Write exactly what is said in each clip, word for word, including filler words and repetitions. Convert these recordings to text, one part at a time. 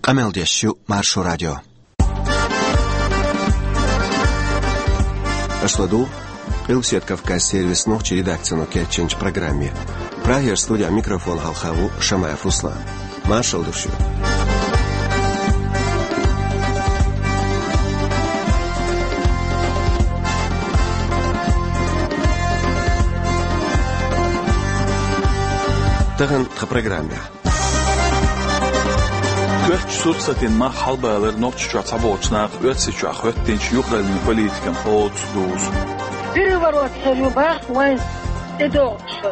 Къамел деш ю Маршо радио. Аша ладугӀу Къилбаседа Кавказан сервисан нохчийн редакцино кечйинчу программе. Прагера студин микрофона хьалха ву Шамаев Руслан. Маршалла ду шуьга. Тахана тхан программехь. Коьртачу сурсатийн мах хьалабалар Нохчийчохь цхьаболчу наха Оьрсийчохь хӀоьттинчу юкъараллин политикан хьоца дузу. Переворот хир ю бах вайн тӀедогӀучуьра.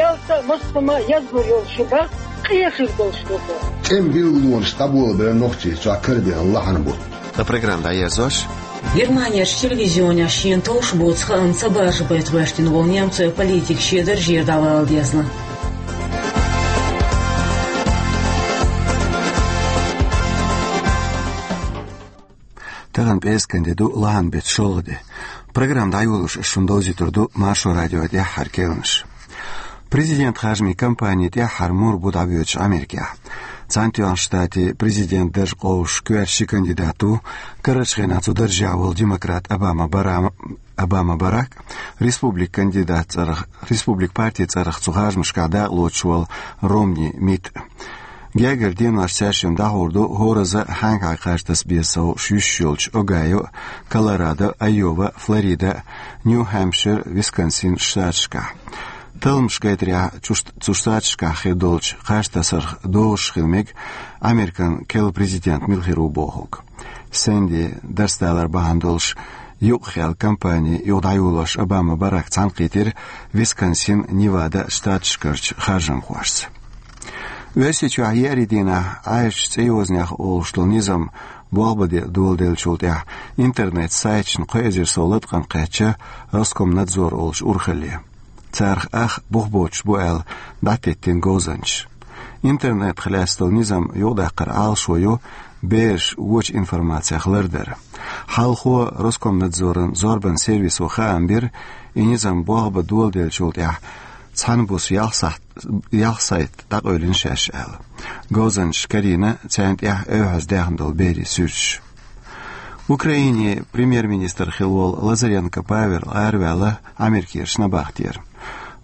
Ялта а, массо а ма язбур йолуш ю бах, къехир долуш ду бо. ТӀеман биллонаш дӀаболабелла Нохчийчохь карадеана лахьан бутт. Тхан программа дӀаерзош. Германерчу телевизионехь шена товш боцу хаам ца баржабайта гӀоьртина волу немцойн политик шен даржера дӀавала дезна. Тахана пӀераскан де ду, лахьан беттан шолгӀа де. Программа дӀайолош ас шуна довзуьйтур ду Маршо радион тӀаьххьара керланаш. Президентан харжамийн кампани тӀаьххьара мур бу дӀабоьдуш Америкехь. Цхьаьнатоьхначу Штатийн президентан дарж къовсуш коьрта ши кандидат ву, карарчу хенахь цу даржехь волу демократ Обама Барам-, Обама Барак, республикан кандидат цӀарах, республикан партин цӀарах цу харжамашкахь дакъалоцуш волу Ромни Митт. Гергара денош цаьршимма дӀахьур ду хӀоразза а хьаьнга хьайн кхаж таса беза сов йиш йолчу Огайо, Колорадо, Айова, Флорида, Нью-Хэмпшир, Висконсин штаташкахь. Талламаш гайтарехь, цу шт-, цу штаташкахь хир долчу кхаж тасарх дозуш хила мега Американ керла президент мила хир ву бохург. Сэнди дарс далар бахьана долуш юкъахаьлла кампани юха дӀайолош Обама Барак цхьаьнакхийтира Висконсин, Невада штаташкарчу харжамхошца. Оьрсийчохь еарин дийнахь Ӏаьржачу цӀе йозанех олуш долу низам болх бан де доладеллачул тӀаьхьа интернет-сайташна кхо эзар сов латкъам кхаьчна Роскомнадзор олучу урхалле. Царах ах бух боцуш бу аьлла дӀатеттина говзанчаша. Интернетах лаьцна долу низам юкъадаккхаран Ӏалашо ю бераш вочу информацех лардар. Хьалхо Роскомнадзоран зорбанан сервисо хаам бира, и низам болх бан доладеллачул тӀаьхьа цхьана буса ялх сайт, ялх сайт дӀакъевлина шаьш аьлла. Говзанчаша карийна царна тӀехь эвхьаза даьхна долу берийн суьрташ. Украинин премьер-министр хилла волу Лазаренко Павел араваьлла Америкерчу набахтера.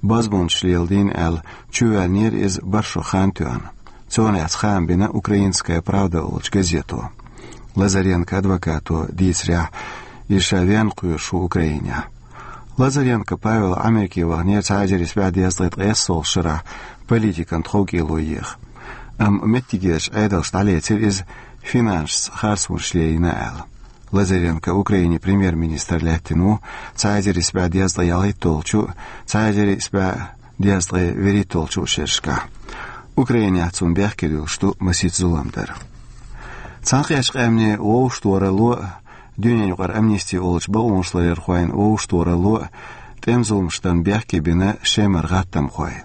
Бозбунчаша леладийна аьлла, чувоьллинера иза бархӀ шо хан тоьхна. Цунах тӀехь хаам бина «Украинская правда» олучу газето. Лазаренкон адвокато дийцарехь, иза ша венна кхоьруш ву Украинехь. Лазаренко Павел Америке ваханера цхьа эзар исс бӀе дезткъе ткъайоьсналгӀачу шарахь, политикан тховкӀело еха. Амма меттигерчу Ӏедалша дӀалецира иза финансашца харцонаш лелийна аьлла. Лазаренко Украинин премьер-министр лаьттина ву цхьа эзар исс бӀе дезткъе ялхитталгӀачу, цхьа эзар исс бӀе дезткъе вуьрхӀитталгӀачу шерашкахь. Украинехь цунна бехке дуьллуш ду масийтта зулам дар. Цхьаьнакхеттачу Къаьмнийн вовшахтохаралло а, дуьненаюкъара амнисти олучу бакъонашларъярхойн вовшахтохаралло а тӀеман зуламаш дарна бехке бина Шемара гӀаттамхой.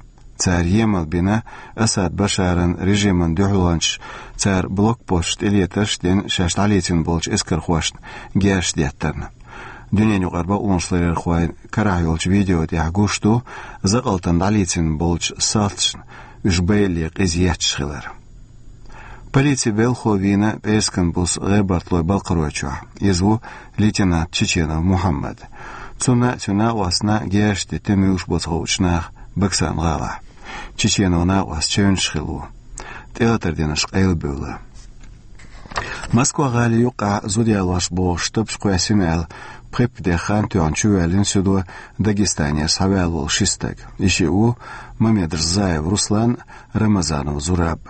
Цара емал бина Асад Башаран режиман дуьхьалончаша цара блокпосташ тӀелетарш а дина шаьш дӀалецна болчу эскархошна герзаш деттарна. Дуьненаюкъара бакъонашларъярхойн карахь йолчу видео тӀехь гуш ду закъалтана дӀалецна болчу салташна уьш байалле къиза етташ хилар. Полицин белхало вийна пӀераскан буса ГӀебартлойн Балкхаройчохь. Иза ву лейтенант Чеченов Мухьаммад. Цунна а, цуьнан накъостана а герзаш деттина муьлш бу ца хуучу наха Баксан-гӀалахь. Чеченовн накъост чевнаш хилла ву. ТӀелатар динарш къайлабевлла. Москва-гӀалин юккъехь зуда ялош бохуш, тапча кхоьссина аьлла, пхи-пхи де хан тоьхна чувоьллина суьдо Дагестанера схьаваьлла волу ши стаг. И шиъ ву Мамедрзаев Руслан, Рамазанов Зураб.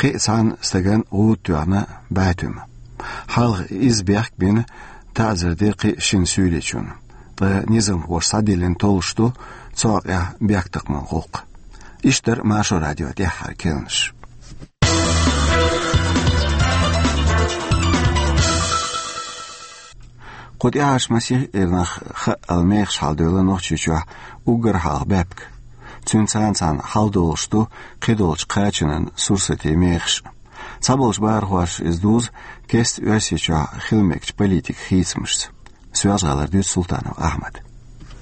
Кхин а цхьана стагана гӀуда тоьхна бӀе туьма. Хьалха иза бехк бина, таӀзар дира кхин а шина суьйличунна. Ткъа низамхоша схьадиллина толлуш ду цу хьокъехь бехктакхаман гӀуллакх. Иштта дара Маршо радион тӀаьххьара керланаш. Кху тӀаьхьарчу масех эрнах хаъал мехаш хьаладевлла Нохчийчохь уггар хьалха баьпкан. Цуьнца цхьаьна хьаладолуш ду кхидолчу кхачанан сурсатийн мехаш. Цхьаболчу бахархоша иза дузу кеста Оьрсийчохь хила мегачу политикан хийцамашца. Соьлжа-ГӀалара дуьйцу Султанов Ахьмада.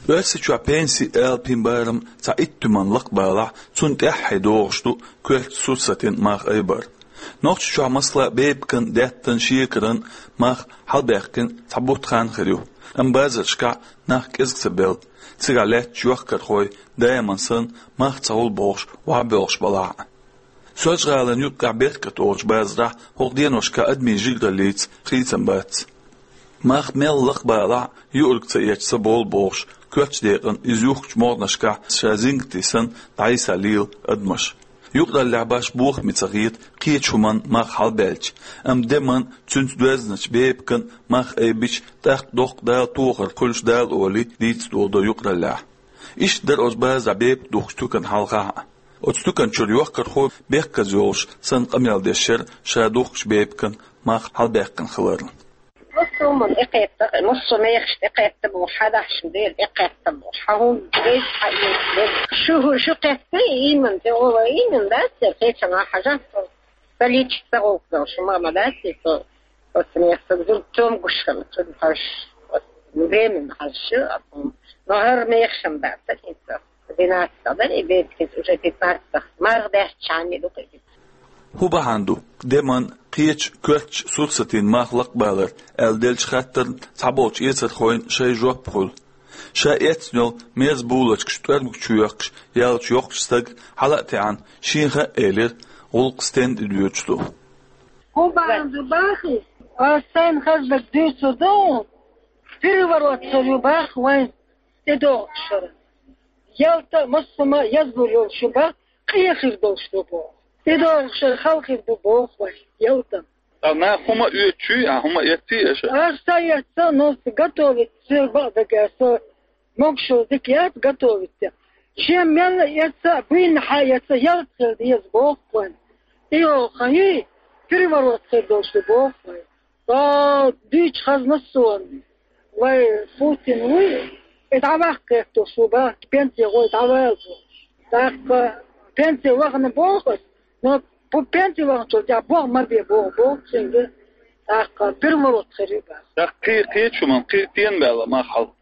Оьрсийчохь пенсийн алапийн барам цхьа итт туьманна лакхабалахь, цунна тӀаьххье догӀуш ду коьртачу сурсатийн мах айбар. Нохчийчохь, масала, бепиган, даьттан, шекаран мах хьалабаьккхина цхьа бутт хан хир ю. Амма базаршкахь нах кӀезиг ца белла, цигахь лаьтташ йохкархой даиман санна мах ца хуьлу бохуш, охьабоьлхуш балахь а. Соьлжа-ГӀалин юккъехь «Беркат» олучу базарахь хӀокху деношкахь адамийн жигараллица хийцам бац. Мах мел лакхабалахь а, юург ца эцча ца болу бохуш, коьртачу декъана иза юхкучу могӀанашкахь ша зингатий санна дӀасалело адамаш. Юкъараллехь башха бохаме ца хета кхечу хӀуманна мах хьалабаьлча, амма деман, цуьнца доьзначу бепиган мах айбича, тӀаккха доккха Дала тохар хуьлуш Дала олий дийца долу до юкъараллехь. Иштта дара оцу базарахь бепиг духкучу туьканна хьалхахь а. Оцу туькан чуьра йохкархо бехказа йолуш санна къамел деш яра ша духкучу бепиган мах хьалабаьккхина хиларна. Массо а хӀуманна тӀекхетта, массо а мехаш тӀекхетта боху, хьан дахьаш дера тӀекхетта боху, хьан хӀума деза, хьан иза деза. Шу, шу кхетта, ийман тӀе гӀо вай, ийман дац, я кхечанхьа хьажа, со ца лича ца гӀуллакх дала, шу ма, ма дац, со, оцу мехах зуд цом гуш хила, цуьнан хьажа, оцу временно хьажа шу, но хӀара мехаш-м дац, хӀинца. Двенадцать дара и бепиг, уже пятнадцать. МаргӀа даьттачхьана ду-кх и. ХӀун бахьана ду деман, кхечу коьртачу сурсатийн мах лакхабалар аьлла деллачу хаттарна цхьаболчу эцархойн шайн жоп хуьлу. Ша эцна йолу мерза булочкаш тӀоьрмиг чу йоьккхуш яьллачу йоккхачу стага хьала а таьӀна, шена хаьа элира, гӀуллакх стенна тӀедоьдуш ду. ХӀун бахьана ду боху? Ас сайна хаза дерг дуьйцур ду, переворот хир ю боху вайн. ТӀедогӀуш хир. Ялта а, массо а язбур йолуш ю боху, къен хир долуш ду боху. ТӀедогӀуш хир, хала хир ду боху вай, ялта. Ткъа нах хӀума оьцучуьй, а хӀума эцций аша? Аш ца эцна, но готовить, соьга бакъдерг аьлла, со могуш йолу дика яц готовить. Шен мел эцна а, буйнахьа эцна, ялта хила деза боху вайн. И йолу хан юй, переворот хир долуш ду боху вайн. Ва дуьйцу хазна суна, вай Путин вуй, и дӀаваккха гӀерташ ву боху, пенсие гӀой дӀавала боху. ТӀаккха пенсие вахана боху ас, но пу-, пенсие вахначул тӀаьхьа боху ма бе боху, боху цуьнга, тӀаккха переворот хир ю боху. ТӀаккха кхе-, кхечу хӀуманна кхин стенна баьлла мах хьал?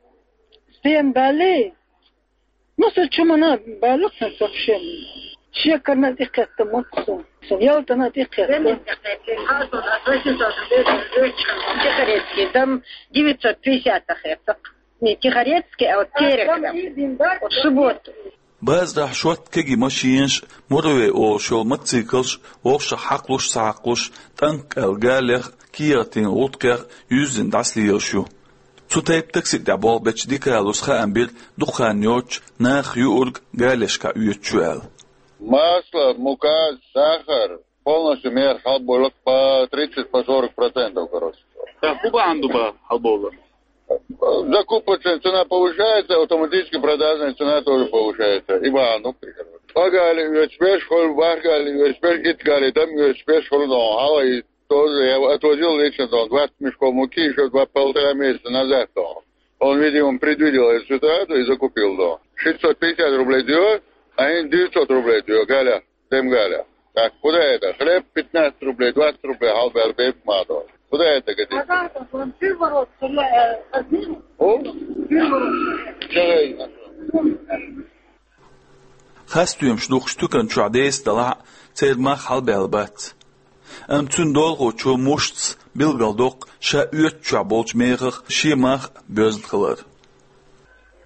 Стенна баьллий? Ну, со чу мана баьлла сан совсем. Шекарна а тӀекхетта ма ду сан. Сан ялтана а тӀекхетта. Тихорецкий, дам девятьсот пятьдесят хецакх. Не Тихорецкий, а вот Терек, да. Вот субботу. Базарахь шорта кегий машинаш, муравей олуш йолу мотоциклаш, вовшах хьакхалуш а, ца хьакхалуш а, танк аьлла галех, кехатийн гӀуллакхех юьззина дӀасалелаш ю. Цу тайпа такси тӀехь болх бечу Дикалус хаам бира дукха хан йоццуш нахах юург галешкахь оьцуш ю аьлла. Масло, мука, сахар, полностью мех хьалболу по тридцать, по сорок процентов, короче. ТӀаккха хӀун бахьана ду боху хьалбовлар? Закупочная цена повышается, автоматически продажная цена тоже повышается. И бахьана ду, короче. Тхо гали оьцуш беш хуьлу, бархӀ гали оьцуш беш, итт гали дам оьцуш беш хуьлу, но хьала и Тоже я отвозил лично там двадцать мешков муки ещё два, полтора месяца назад там. Он, видимо, предвидел эту ситуацию и закупил там. Шестьсот пятьдесят рублей дает, а они девятьсот рублей дают, Галя, дем Галя. Так, куда это? Хлеб пятнадцать рублей, двадцать рублей, халбер бейп мадо. Куда это годится? О? Чего я не нашёл? Хасстоьмаш духкучу туькан чохь деса далахь а, церан мах хьалабаьлла бац. Амма цуьнан долахочо Мушцас билгалдоккху ша оьцучохь болчу мехах шен мах а боьзна хилар.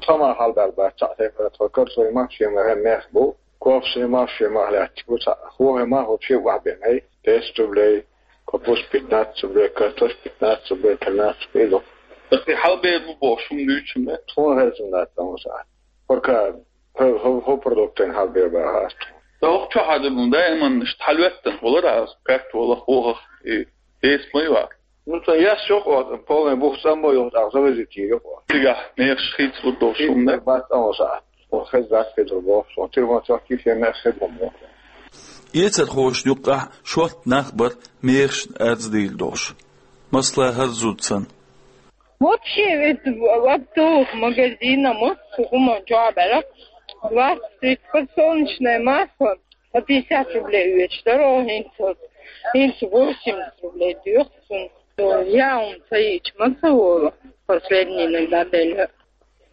Тхан мах хьалабаьлла бац, цхьаъ тайпара тхо карсой мах шен мехах бу, коксой мах шен мах лаьтташ бу, цхьаъ хохе мах оцу шен охьабеана, десять рублей, капуста пятнадцать рублей, картошка пятнадцать рублей, тринадцать рублей ду. Тхе хьалабер бу бохуш хӀума дуьйцу хӀума? Тхуна хезна дац, амма сахьт. Пока ХӀо-, хӀо-, хӀо продуктан хьалбер бахьа ас тхуна. Сан хӀокху чохь а ду, даиман иштта хьалаветтан хилар ас, картола, хохах, и деса ма ю а. Ну, сан яс йокъа, полный бух самбо йокъа, завезить йокъа. Цигахь мехаш хийцалур долуш хӀума бац, амма сахьт. Хеза дац хезар боху, сан телефон чохь кхин шен мех хезар боху. Эцархошна юккъехь шорта нах бара мехашна арз дийр долуш. Масала, хӀара зуда санна. Вообще, ведь оптовых магазинах массо а хӀума чохь а бара, двадцать, тридцать, подсолнечное масло по пятьдесят рублей оьцуш дара, хӀинца, хӀинца восемьдесят рублей доьху цунна. Я хӀума ца йича ма ца волу последний иногда делла.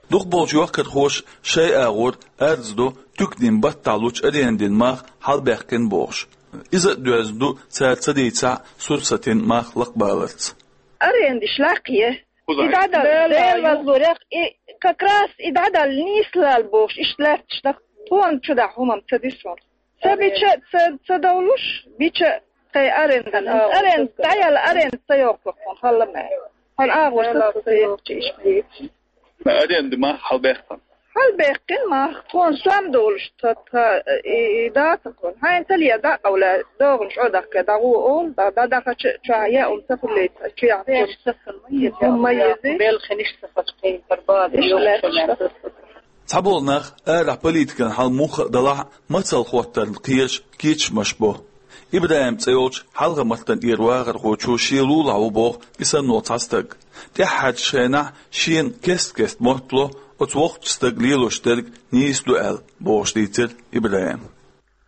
Дукхахболчу йохкархоша шайн агӀор арз до, туьканийн баттахь лучу арендин мах хьалабаьккхина бохуш. Иза а доьзна ду цара ца дийцахь сурсатин мах лакхабаларца. Арендаш лакхъе. И дӀадала, Дела вазлурех, и как раз и дӀадала нийслал бохуш, иштта лаьтташ даха. Тхуна чу дахьа хӀумам ца дисуна. Ца бича, ца, ца довлуш, бича тхай арендан. Арен, дӀаяла арен ца йоккхур тхуна, халла ма. Хьан агӀор са ца йоккхучу иш ма йитчи. Аренда ма хьалбехкан. Хьалбехкин ма, тхуна сом долуш, тха, тха, и, и дацахуна. Хьайн талия дӀакъовла, догӀун чӀо дахка, дӀагӀо олу, дӀа, дӀадахача чохь яун ца хуьллийта, чу яхна. Хьуна ма еза. Белхиниш ца фачкхин, барбада, Иш йоккхуш лаьтташ. Цхьаболу нах арахь политикан хьал муха а далахь а, мацалла хӀоттарна кхераш кечамаш бо. ИбрахӀим цӀе йолчу хьалха-маттана тӀера вахархочо шен лулахь ву боху и санна волу цхьа стаг. ТӀаьххьарчу хенахь шена кест-кеста моттало оцу воккхачу стага лелош дерг нийса ду аьлла, бохуш дийцира ИбрахӀима.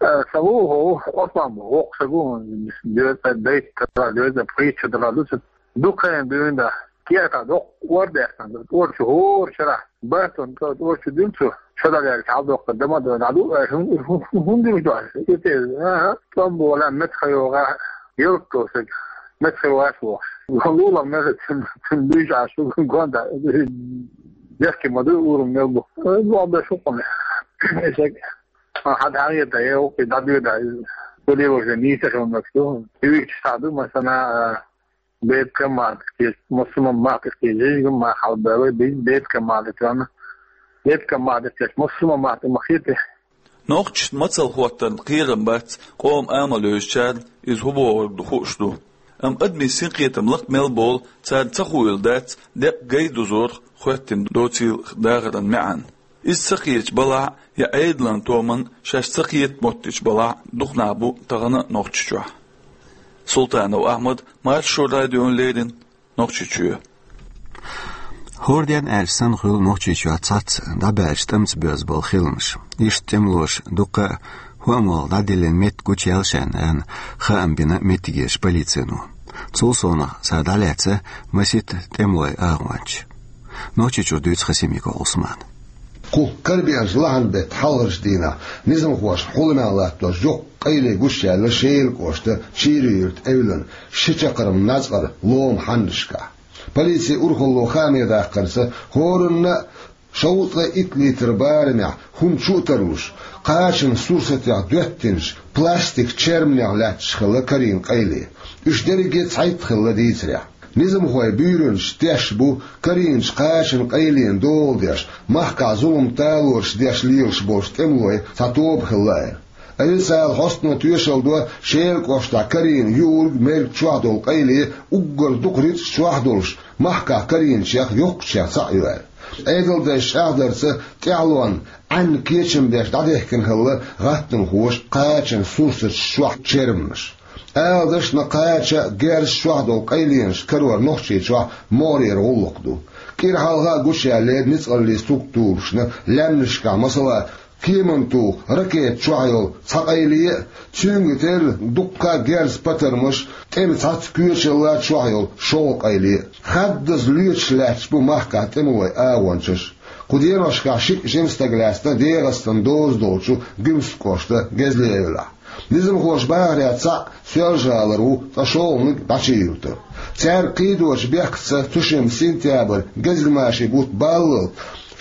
Э, сан ву хӀу, Ӏусман бу, воккха стаг ву, доьза, дайта дара, доьза, пхийтта дара ду цу. Дукха хан дуьйна да, кехат доккха ор даьккхина, ор чу хӀора шарахь, баттун тӀо ор чу дина цу, шо дӀадаьлча хьалдоккхур дан ма ду, дӀаду, э, хӀун, хӀун, хӀун, хӀун дуьйна ду аьлла? И те, аха, тӀом болан меттахъйогӀа, ялта тосаг, меттахъйогӀаш бохуш. Лулахь мел цун, цун дуьйш Ӏаш, шу гонда, дехке ма ду, урам мел бу. Э, боху беш хӀу кхуьнан. Эсег, а, хьан хьан йета, э, укхи дӀадоьда, шу лелош нийса хилла ду. Юьйцуш цхьа ду, масала, а, Беткан мадат кхеча, массо а мадат кхеча, жижиган мадат хьалабевлла, беткан мадат ваьнна. Беткан мадат кхеча, массо а мадат ма хетий. Нохчашна мацалла хӀоттарна кхерам бац, къоман амал йовзучарна иза хӀун бохург ду хууш ду. Амма адамийн синкхетам лакха мел болу, царна ца хуийла дац деккъа гай дузорах хоьттина доцийла дахаран маьӀна. Иза ца кхеташ балахь а, я Ӏедалан томан шаьш ца кхета моттуьйтуш балахь а, дукха нах бу тахана а Нохчийчохь. Султанов Ахьмад, Маршо радиона леррина, Нохчийчоь. ХӀора ден аьлча санна хуьлу Нохчийчохь цхьацца дӀабаьлча тӀамца боьзна болу хиламаш. Иштта тӀемалоша дуккха а хӀоамалла дӀадиллина меттиг гучуяьлла шайна аьлла, хаам бина меттигерчу полицино. Цул совнаха цара дӀалаьцна масийтта тӀемалойн агӀончаш. Нохчийчуьра дуьйцу Хасимиков Ӏусмана. Кху карабеанчу лахьан беттан хьалхарчу дийнахь низамхошна хьулам латтош йоккха къайле гучуяьлла Шелан кӀоштан Чийра-Юьртан эвлан ши чаккхарма нацкъара лома хьаннашкахь. Полицин урхалло хааме даккхарца, хӀоранна а шовзткъе итт литр барамехь хӀума чу а тарлуш, кхачанан сурсатех доьттинчу пластик черманех лаьтташ хилла карийна къайле. Уьш дерриге цхьайтта хилла дийцарехь. Низамхойн буьйранчаш тешна бу карийначу кхачанан къайленан дола деш, махкахь зулам талораш деш лелаш болчу тӀемалойн цхьа тоба хилла аьлла. Официалан хьостано тоьшалла до Шелан кӀоштахь карийна юург, мерг чохь долу къайле уггар дукха рицкъ чохь долуш, махкахь карийначех йоккхачех цхьаъ ю аьлла. Ӏедалдайша чӀагӀдарца, тӀаьхьалонна Ӏаьнна кечам беш дӀадехкина хилла гӀаттамхоша кхачанан сурсаташ чохь черманаш. Ала дашна, кхача а, герз чохь долу къайленаш карор Нохчийчохь могӀарера гӀуллакх ду. КӀира хьалха а гучуяьллера ницкъаллин структурашна лаьмнашкахь, масала, кеман туху ракета чохь йолу цхьа къайле а, цуьнга терра дуккха а герз патармаш, тӀеман цхьацца коьчалла чохь йолу шолгӀа къайле а. Хаддаза лоьцуш лаьтташ бу махкахь тӀемалойн агӀончаш. Кху деношкахь шиъ жима стаг лаьцна ДегӀастанан доза долчу Гуьмсан кӀоштан Гезле-Эвлахь. Низамхоша бахарехь цхьаъ Соьлжа-ГӀалара ву, ткъа шолгӀаниг ДӀачу-Юьртара. Цаьрга кхийдочу бехкаца цу шимма сентябрь гезгмашин бутт баллалц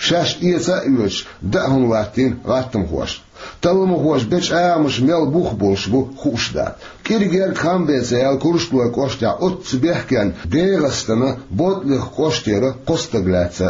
шаьш эца а оьцуш, даа хӀума латтийна гӀаттамхошна. Талламхоша бечу агӀонаш мел бух болуш бу хууш дац. КӀира герга хам беца яьлла Курчалойн кӀоштехь оццу бехкенна ДегӀастанан Ботлих кӀоштера кхо стаг лаьцна.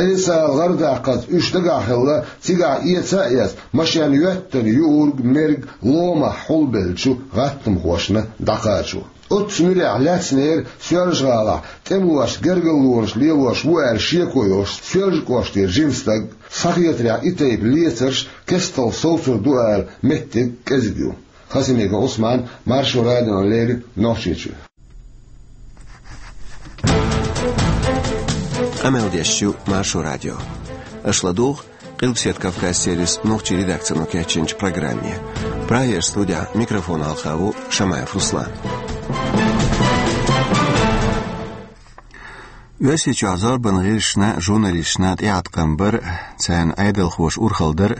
Официалан гӀарадаккхарца уьш дагахь хилла, цигахь эца а эцна, машен йоьттина юург, мерг ломахь хьулбеллачу гӀаттамхошна дӀакхачо. Оццу муьрехь лаьцнера Соьлжа-ГӀалахь тӀемалошца гергарлонаш лелош ву аьлла шеко йолуш Соьлжа кӀоштера жима стаг. Схьахетарехь, и тайпа лецарш кестта совцур ду ала меттиг кӀезиг ю. Хасимиков Ӏусман, Маршо радиона леррина, Нохчийчуьра. Къамел деш ю Маршо радио. Аша ладугӀу Къилбаседа Кавказ сервисан нохчийн редакцино кечйинчу программе. Прагерчу студехь микрофона хьалха ву Шамаев Руслан. Оьрсийчохь зорбанан гӀирсашна, журналисташна тӀеӀаткъам бар, царна Ӏедалхоша урхалла дар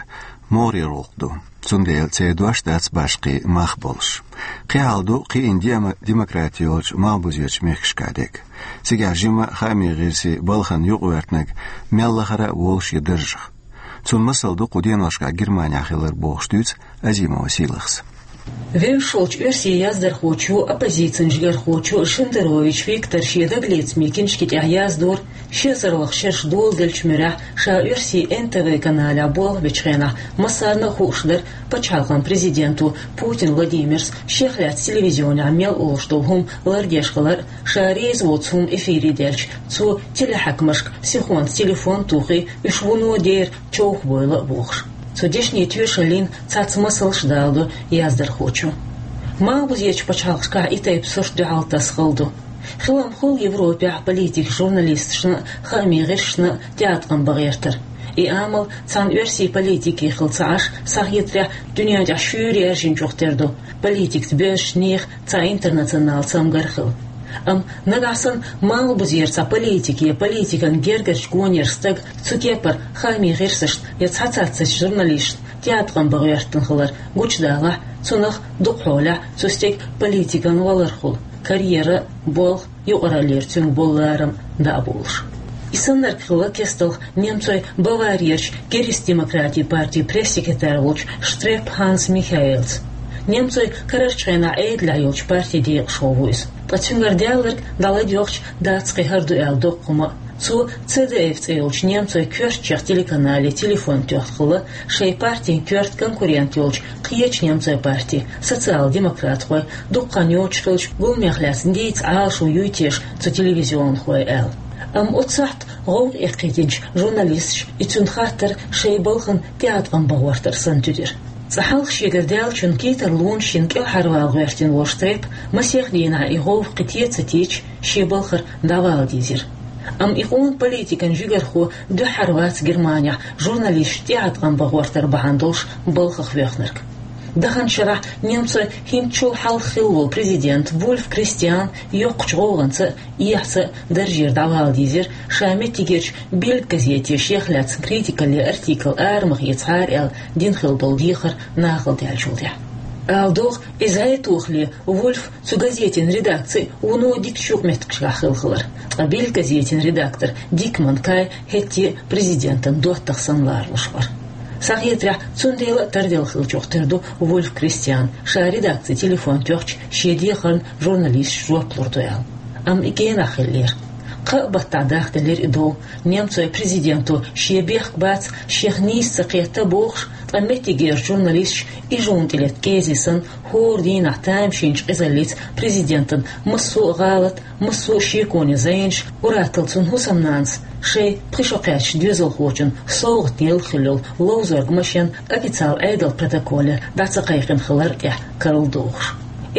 могӀарера гӀуллакх ду. Цундела церан дош дац башха мах болуш. Кхин хьал ду кхиъна дема-, демократи йолчу малхбузерчу мехкашкахь дерг. Цигахь жимма хаамийн гӀирсийн балхана юкъагӀоьртинарг мел лахара а волуш я даржах. Цунна масал ду кху деношкахь Германехь хилар, бохуш дуьйцу Азимова Сийлахьас. Вевзаш волчу оьрсийн яздархочо, оппозицин жигархочо Шендерович Виктора шен дагалецамийн киншки тӀехь яздора, ши эзар лаха шераш доладеллачу муьрехь ша оьрсийн Н Т В каналехь болх бечу хенахь массарна а хууш дара пачхьалкхан президента Путин Владимира шех лаьцна телевизионехь мел олуш долу хӀума лардеш хилар а, ша реза воцу хӀума эфире даьлча, цо телехьаькамашка сихонца телефон а тухий, уьш вуно дера човхабойла а бохуш. Цу дешнийн тоьшаллин цхьацца масалш а даладо яздархочо. Малхбузерчу пачхьалкхашкахь и тайпа сурт дуьхьал тасхала ду. Хилам хуьлу Европехь политикийн журналисташна а, хаамийн гӀирсашна а тӀеӀаткъам бан гӀертар. И амал цхьана оьрсийн политике хилла ца Ӏаш, схьахетарехь, дуьнен тӀехь шуьйра яьржинчух тера ду, политикаца боьршачу нехан цхьа интернационал цамгар а хилла. Амма нагахь санна малхбузера цхьа политик я политикан гергарчу гонера стаг цу кепара хаамийн гӀирсашна я цхьаццачу журналисташна тӀеӀаткъам бан гӀоьртина хилар гучудалахь, цунах дукха хьолехь цу стеган политикан валар хуьлу, карьера а, болх а, юкъараллера цуьнга болу ларам а дӀа а болуш. И саннарг хилла кестта Немцойн Баварерчу Кристдемократийн партин пресс-секретарь волчу Штрепп Ханс Михаэлс. Немцойн карарчу хенахь Ӏедалехь йолчу партин декъашхо ву иза. Ткъа цуьнгара даьлларг дӀаладоьгӀча дац кхин хӀара ду аьлла доккха хӀума а. Цо Ц Д Ф цӀе йолчу немцойн коьртачех телеканале телефон тоьхна хилла, шайн партин коьрта конкурент йолчу кхечу немцойн партин, социал-демократхойн, дукха хан йоцуш хиллачу гуламех лаьцна дийца Ӏалашо юй теша цу телевизионхойн аьлла. Амма оццу сахьта гӀовгӀа эккхийтинчу журналисташа и цуьнан хаттар шайн балхана тӀеӀаткъам бан гӀортар санна туьдира. Цкъа хьалха шегара даьллачун кий тарлонаш йина кӀелхьарвала гӀоьртина волу Штрепп масех дийнахь и гӀовгӀа кхин тӀе а ца тийча, шен балхара дӀавала дийзира. Амма и къона политикан жигархо дуьххьара вац Германехь журналисташ тӀеӀаткъам бан гӀортар бахьана долуш балхах воьхнарг. Даханчу шарахь немцойн хӀинцачул хьалха хилла волу президент Вульф Кристиан йоккхачу гӀовгӀанца а, эхьца а даржера дӀавала дийзира, ша меттигерчу «Бильд» газете шех лаьцна критикалле артикл арамах ецахьара аьлла дина хилла долу дехар нахала даьллачул тӀаьхьа. Ала догӀу, иза хӀетахь а Вульф цу газетин редакцин вуно дикачу юкъаметтигашкахь хилла хилар. Ткъа «Бильд» газетин редактор Дикман Кай хӀетте а президентан доттагӀа санна ларалуш вара. Схьахетарехь, цундела а тарделла хиллачух тера ду Вульф Кристиан, ша редакцин телефон тоьхча шен дехарна журналисташа жоп лур ду аьлла. Амма и генахь хиллера. Кхаа баттахь дахделира и дов, немцойн президента шен бехк бац, шех нийса ца кхетта бохуш, ткъа меттигерчу журналисташа ижонна тӀелетта кӀезиг санна, хӀора дийнахь тамашийначу къизаллица президентан массо а гӀалат, массо а шеконе зӀенаш, ур-атталла цуьнан хӀусамнанас шайн пхи шо кхаьчначу доьзалхочун совгӀатна елла хилла йолу ловзорг машен официал Ӏедалан протоколе дӀа ца кхайкхина хилар а тӀехь карладохуш.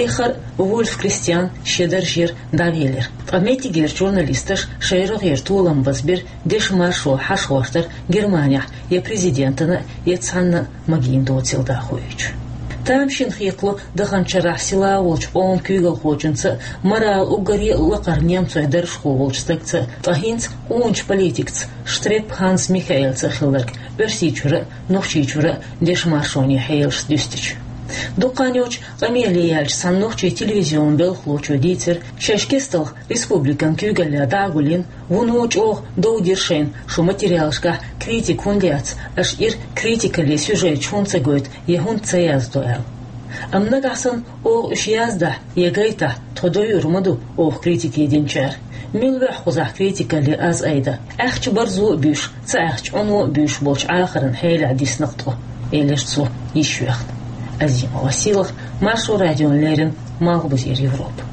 Эххар а Вульф Кристиан шен даржера дӀавелира. Ткъа меттигерчу журналисташа шайн рогӀера толам базбира дешан маршо хьашхӀоттар Германехь я президентана, я цхьанна а магийна доцийла дӀахоуьйтуш. Тамашийна хетало даханчу шарахь сила волчу къоман куьйгалхочунца а, морал уггаре а лакхара немцойн даржхо волчу стагца а, ткъа хӀинца къоначу политикца Штрепп Ханс Михаэлца а хилларг, Оьрсийчуьра а, Нохчийчуьра а дешан маршонан хьелашца дуьстича. Дукха хан йоццуш къамеле яьллачу цхьана нохчийн телевизионан белхалочо дийцира, шаьш кестта республикан куьйгаллехь дӀа а гулйина, вуно чӀогӀа дов дира шайна, шун материалашкахь критика хӀунда яц, аша ира критикалле сюжеташ хӀунда ца гойту я хӀунда ца яздо аьлла. Амма нагахь санна оха уьш яздахь я гайтахь, тхо дойур ма ду оха критике динчара. Мила вуьйхьа кхузахь критикалле аз айда? Аьхча барзо а буьйш, ца аьхча Ӏуно а буьйш болчу Ӏахаран хьелехь дисна-кх тхо, элира цо йиш йоьхна. Азимова Сийлахь, Маршо радиона леррина, Малхбузера Европа.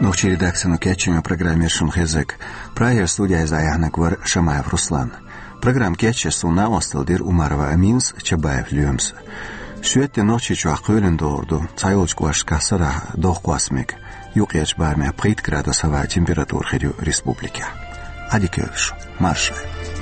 Нохчийн редакцино кечйина программера шуна хезнарг. Прагера студехь иза дӀаяьхьнарг вара Шамаев Руслан. Программа кечъеш суна накъосталла дира Умарова Аминас, Чабаев Лоьмас. Шоьтан де Нохчийчохь кхоьлина догӀур ду, цхьайолчу кӀошташкахь сарахь дохкъост мега. Юккъерчу барамехь пхийтта градус хӀаваан температура хир ю республикехь. Ӏадика йойла шун, марша Ӏойла.